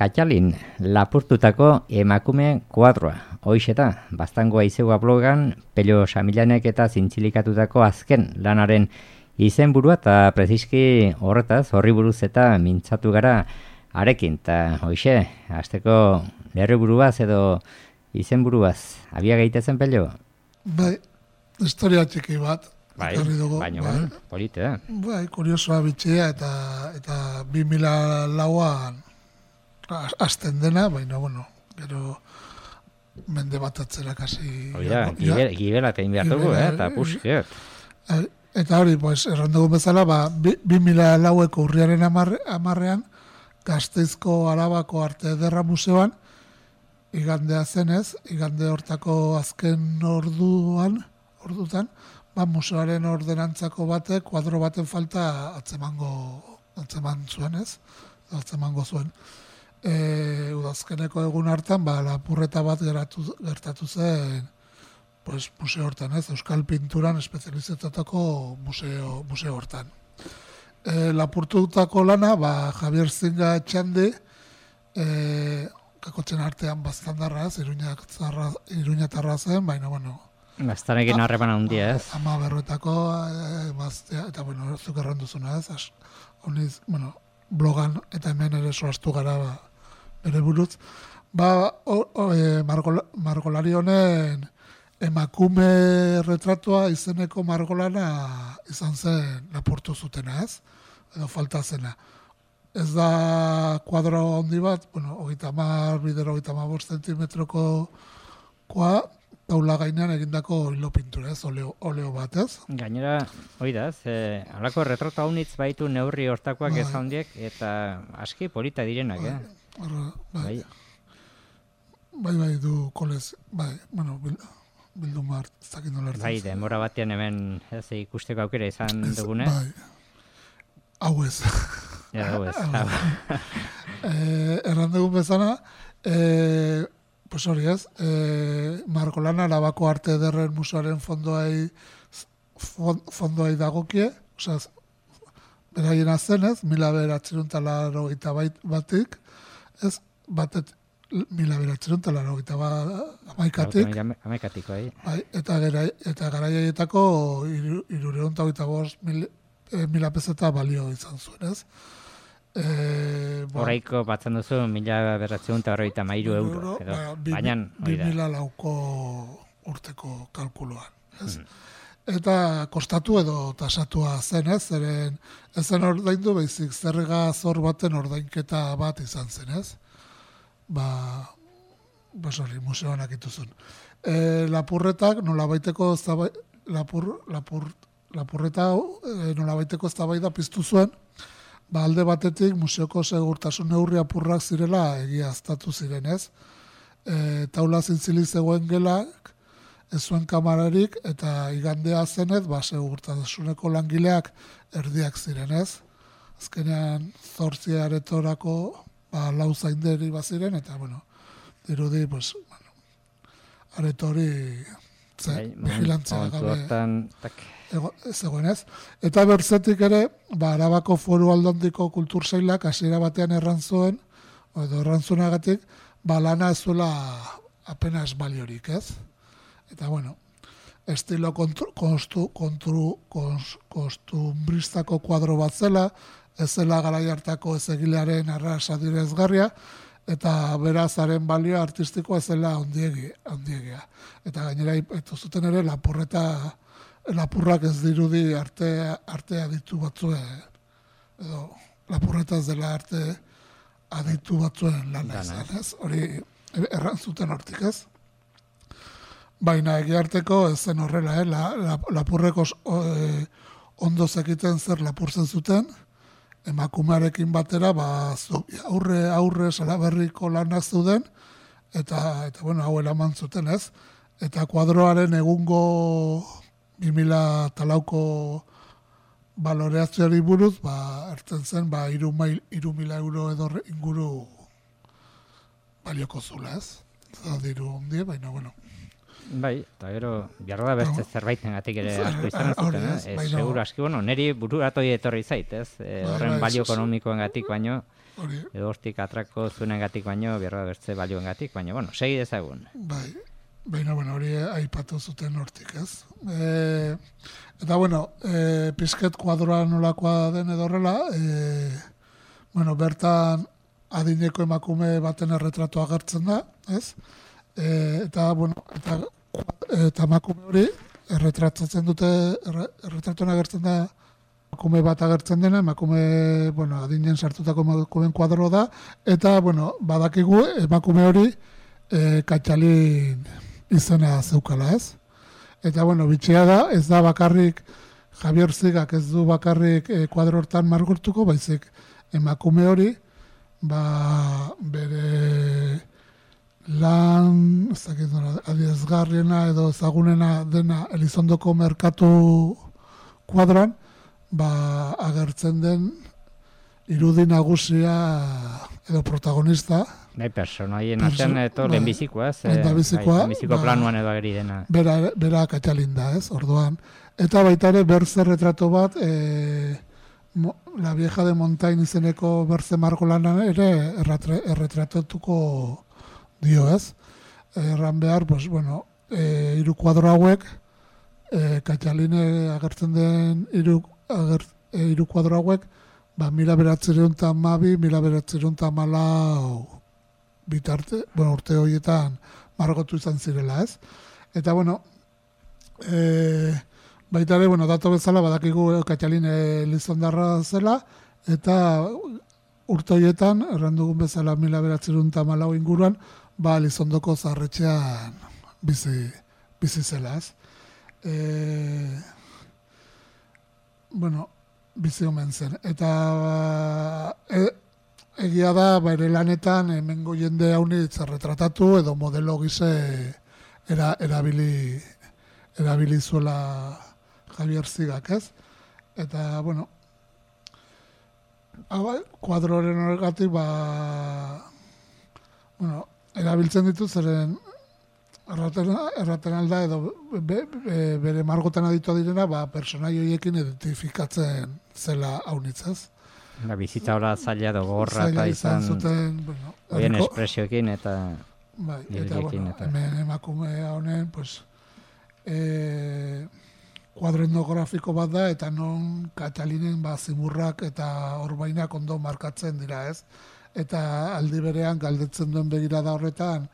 Katxalin, lapurtutako emakume kuadroa. Hoixeta, Baztangoa Izegua blogan, Pello Samilanek eta zintzilikatutako azken lanaren izenburua eta preziski horretaz, horri buruz eta mintzatu gara arekin. Eta hoixe, hasteko lerriburuaz edo izenburuaz, abia gaitezen Pello? Bai, historia txiki bat. Bai, baina polite da. Bai, kuriosoa bitxia eta 2004an azten dena, baina, gero mende bat atzera kasi... Oida, gibela tein behar dugu, eta pusket. Eta hori, errandugu bezala, 2004eko urriaren 10ean, Gasteizko Arabako Arte Ederra Museoan, igandea zenez, igande hortako azken ordutan, museoaren ordenantzako batek, kuadro baten falta atzeman zuen. Udazkeneko egun hartan, lapurreta bat gertatu zen museo hortan, Euskal Pinturan espezializatutako museo hortan. Lapurtutako lana, Javier Zinga Etxandi, kakotzen artean baztandarra, Iruñatarra zen, baina, Baztanekin harreman handia, ez? Ama berroetako, eta, zuk erranduzuna, blogan eta hemen ere soaztu gara bere buruz. Margolari honen emakume retratua izeneko margolana izan zen lapurtu zutena, ez? Edo falta zena. Ez da kuadro handi bat, 30 zentimetroko taula gainean egindako hilo pintura, ez? Oleo bat, ez? Gainera, oidaz, halako retrato haunitz baitu neurri hortakoak ez handiek, eta aski polita direnak, Bai, du kolez, bildu mart, ez dakit nola hartzen. Bai, denbora batean hemen ikusteko aukera izan dugune. Bai, hau ez. Hau ez. Erran dugun bezala, hori ez, Margolana Arabako Arte Ederren Museoaren fondoai dagokie, beraien zenez, 1981 ez, batet 1981 amaikatiko, eta garaietako 325.000 peseta balio izan zuen, ez? Horaiko batzen duzu 1.993 euro. Baina, 2004ko urteko kalkuloan, ez? Eta kostatu edo tasatua zen, ez? Ezen ordaindu baizik zerga zor baten ordainketa bat izan zen, ez? Museoan akituzun. Lapurretak nolabaiteko nolabaiteko eztabaida piztu zuen, alde batetik museoko segurtasun neurri apurrak zirela egiaztatu ziren, ez? Taula zintzili zegoen gelak, ez zuen kamararik, eta igandea zenez, segurtasuneko langileak erdiak ziren, ez? Azkenean, 8 aretorako lau zainderi baziren, eta, dirudi, aretori vigilantzia gabe zegoen, ez? Eta bertzetik ere, Arabako Foru Aldondiko kultursailak hasiera batean errantzuen errantzunagatik, lana ez zuela apenas baliorik, ez? Eta, estilo kostumbristako kuadro bat zela, ez zela garai hartako ezegilearen arrasa direzgarria, eta berazaren balio artistikoa ez zela handiegia. Eta gainera, eto zuten ere, lapurrak ez dirudi arte aditu batzuen, edo lapurreta ez dela arte aditu batzuen lana izan, ez? Hori errantzuten hortik, ez? Baina egiarteko ez zen horrela, lapurreko ondo zekiten zer lapurtzen zuten, emakumearekin batera, aurre salaberriko lanak zeuden, eta hau eraman zuten, ez? Eta kuadroaren egungo 2004ko baloreazioari buruz, ertzen zen, 3.000 euro edo inguru balioko zula, ez? Ez da diru ondie, baina, Bai, eta gero, behar da beste zerbaitengatik ere asko izan zuten, seguru aski, niri bururatoi etorri zait, ez? Horren balio ekonomikoengatik baino, edo hortik atrako zuenengatik baino, behar da beste balioengatik, baino, segi dezagun. Bai, baina, hori aipatu zuten hortik, ez? Eta, pizket kuadroa nolakoa den edo horrela, bertan adineko emakume baten erretratua agertzen da, ez? Eta emakume hori erretratatzen dute, erretratuan agertzen da emakume bat agertzen dena, emakume, adinen sartutako emakumeen kuadro da, eta, badakigu emakume hori Katxalin izena zeukala, ez? Eta, bitxea da, ez da bakarrik Javier Zigak ez du bakarrik kuadro hortan margortuko, baizik emakume hori, bere lan adierazgarriena edo ezagunena dena Elizondoko merkatu kuadran, agertzen den irudi nagusia edo protagonista. Personaien artean eto lehenbizikoa, lehenbiziko planuan edo ageri dena. Bera Katxalin da, ez, orduan. Eta baita ere berze retrato bat, La vieja de Montaign izeneko berze margolanan ere erretratatuko dio, ez? Erran behar, hiru kuadro hauek, Katxaline agertzen den hiru kuadro hauek, 1912, 1914 bitarte, urte horietan margotu izan zirela, ez? Eta, baita ere, dato bezala, badakigu Katxaline Elizondarra zela, eta urte horietan, errandugun bezala 1914 inguruan, Elizondoko zaharretxean bizi zela, ez? Bizi omen zen. Eta egia da, ere lanetan, hemengo jende haunitz erretratatu, edo modelo gize erabili zuela Javier Zigak, ez? Eta, kuadroren horregatik, erabiltzen ditu zeren erraten alda edo bere margotan aditua direna, personai horiekin identifikatzen zela haunitzaz. Bizitza hori zaila edo gorra eta izan zuten, horien espresioekin eta irudiekin. Hemen emakume honen, kuadro etnografiko bat da, eta non Katxalinen zimurrak eta orbainak ondo markatzen dira, ez? Eta aldi berean galdetzen duen begirada horretan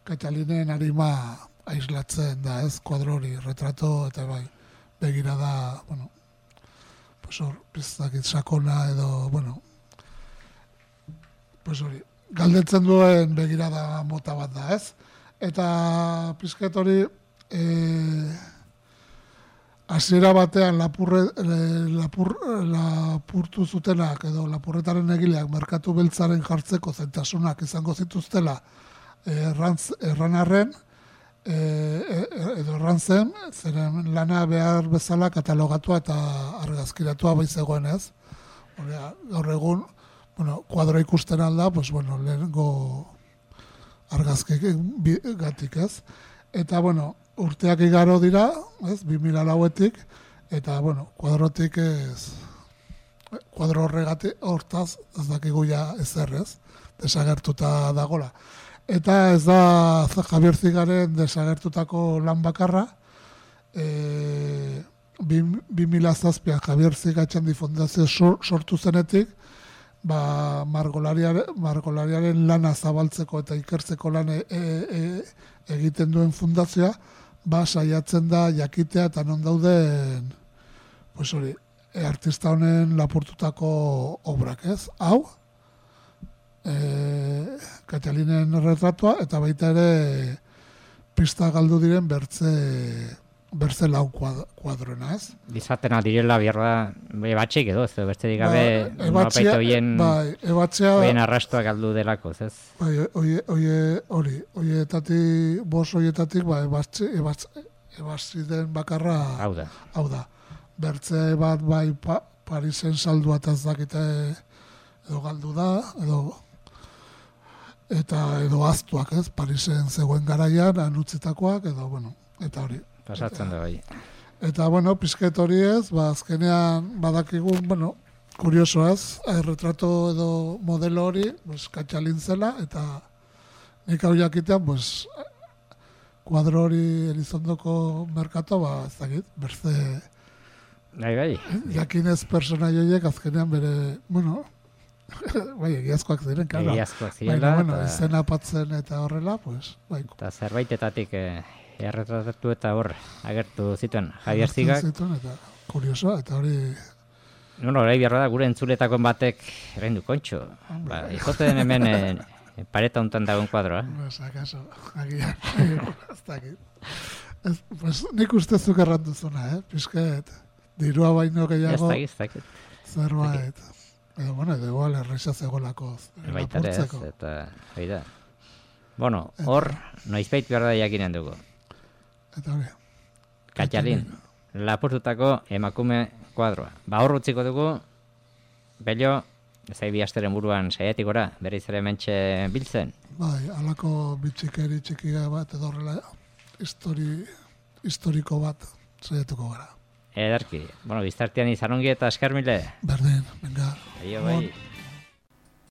Katxalinen arima aislatzen da, ez? Kuadro hori, retrato eta begirada, hor, piztakit sakona edo, hori, galdetzen duen begirada mota bat da, ez? Eta pizket hori, hasiera batean lapurtu zutenak edo lapurretaren egileak merkatu beltzaren jartzeko zaitasunak izango zituztela erranarren edo errantzen, zeren lana behar bezala katalogatua eta argazkiratua baizegoen, ez? Gaur egun, kuadro ikusten alda, lehenengo argazkik gatik, ez? Eta, urteak igaro dira, ez, 2004-etik, eta, kuadrotik ez, kuadro horregatik, hortaz, ez dakigu ja ezer, ez, desagertuta dagola. Eta ez da Javier Zigaren desagertutako lan bakarra, 2007an Javier Zigatxandi Fundazio sortu zenetik, margolariaren lana zabaltzeko eta ikertzeko lan egiten duen fundazioa, saiatzen da jakitea eta non dauden artista honen lapurtutako obrak, ez? Hau, Katxalinen retratua eta baita ere pista galdu diren bertze lau kuadroena, ez? Izaten adirela biarra batxik edo, ez besterik gabe norapaita hoien arrastoa galdu delako, ez? Horietatik, ebatzi den bakarra hau da. Bertze bat Parisen saldua eta ez dakite edo galdu da, edo eta edo aztuak, ez, Parisen zegoen garaian, anutzitakoak, edo, bueno, eta hori. Pasatzen da, bai. Eta, bueno, pizket hori ez, azkenean badakigun, bueno, kurioso ez, retrato edo modelo hori, Katxalin zela, eta nik hau jakitean, kuadro hori Elizondoko merkato, ez dakit, berze... Bai. Jakinez personai horiek azkenean bere, bueno, egiazkoak ziren, karo. Egiazkoak zirela. Baina, izena apatzen eta horrela, bai. Eta zerbaitetatik erretratatu eta hor agertu zituen Javier Zigak. Zituen, eta kuriosoa, eta hori... Hori behar da, gure entzuletako batek rendu kontxo. Izoten hemen pareta hontan dagoen kuadroa. Akaso, agian, ez dakit. Nik ustezuk erranduzuna, Pisket, dirua baino gehiago... Ez dakit. Zerbait. Edo, bueno, edo igual errexaz egolako. Baitare ez, eta hori da. Bueno, hor, noizbait behar da jakinen dugu. Eta hori. Katxalin, lapurtutako emakume kuadroa. Hor utziko dugu, Bello, zai bi asteren buruan saiatik gora, bere izare mentxe biltzen. Bai, alako bitxikeri txikia bat edo horrela, historiko bat saiatuko gara. Ederki, biztartian izan ongi eta eskermile. Berdin, venga. Aio, bai.